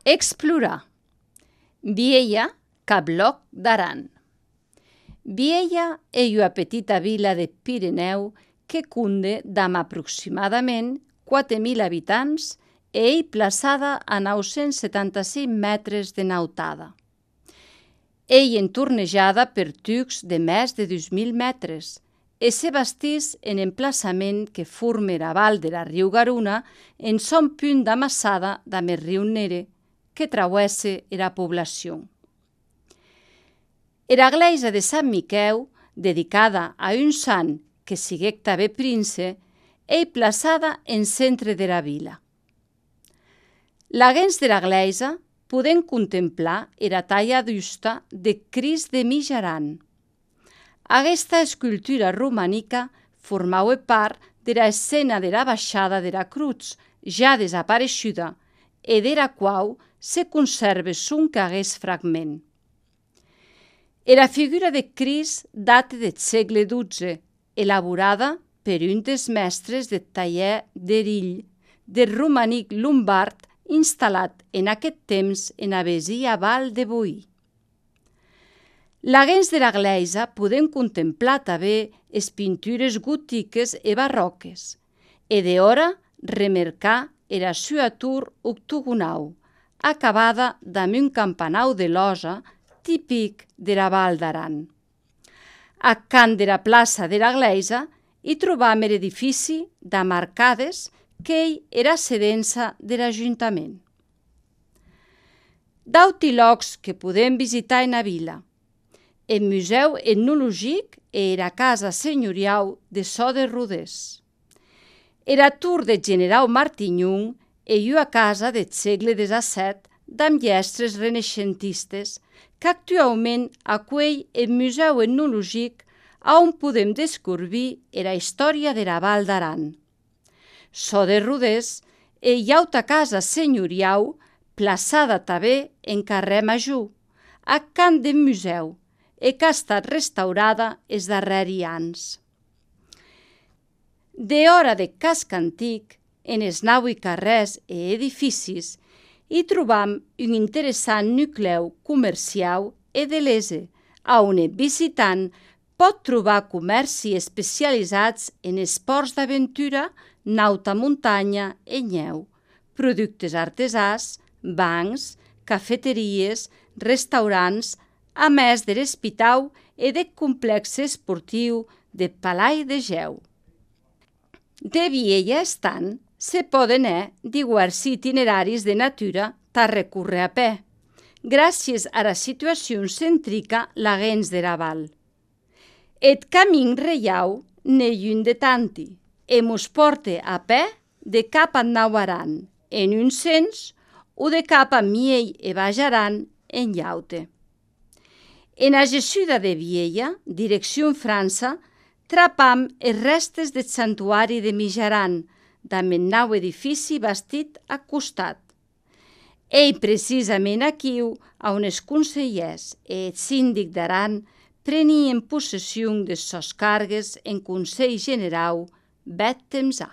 Explorar. Viella, Cabloc d'Aran. Viella è una petita vila de Pirineu que cunde damb aproximadament 4.000 habitants e ei plaçada a 975 metres de nautada. Ei entornejada per tucs de més de 2.000 metres e se bastís en emplaçament que forme era val de la riu Garuna en son punt d'amassada damb el riu Nere, que travesse era població. Era gleisa de Sant Miqueu, dedicada a un sant que siguec tanben prince, ei plaçada en centre dera vila. Laguens dera gleisa podem contemplar era talla d'usta de Crist de Mijaran. Aguesta escultura romanica formaue part dera escena dera baixada dera cruz, ja desapareguda, e dera quau se conserve sonque aguest fragment. Era figura de Crist date deth sègle XII, elaborada per un des mestres deth taller d'Erill, del romanic lombard instal·lat en aquest temps en avesia Val de Boí. Laguens dera gleisa podem contemplar tanben es pintures gotiques e barroques, e d'hora remercar era sua tour octogonau, acabada damb un campanau de losa típic dera Val d'Aran. Ac cant dera plaça dera gleisa hi trobam er edifici damb arcades qu'ei era sedença der ajuntament. D'auti lòcs que podem visitar ena vila: el Museu Etnologic e era casa senyoriau de Çò de Rodés. Era tour deth generau Martignon e ua casa deth sègle XVII damb lhèstres renaixentistes qu'actuaument acuelh el Museu Etnologic a on podem descobrir era història dera Val d'Aran. Çò de Rodés ei auta casa senyoriau plaçada tanben en carrèr Major, ac cant deth museu, e qu'a estat restaurada es darrèri ans. D'hora deth casc antic, en es naui carrèrs e edificis, hi trobam un interessant nuclèu comerciau e de lese, a on eth visitant pot trobar comèrci especializats en esports d'aventura, nauta montanha e neu, productes artesans, bancs, cafeteries, restaurants, a més der espitau e deth complexe esportiu de Palai de Geu. De Viella estant, se poden diversi itineraris de natura tà recórrer a pè, gràcies a era situacion centrica laguens dera val. Eth camin reiau n'ei un de tanti, e mos porte a pè de cap a Aran, en un sens, o de cap a Miei e Baix Aran en llaute. Ena gessuda de Viella, direcció França, trapam es restes deth santuari de Mijaran, damb un nau edifici bastit ac costat. Ei precisament aquiu a on es conselhers e eth sindic d'Aran prenien possession des sòs cargues en Conselh Generau bèth temps a.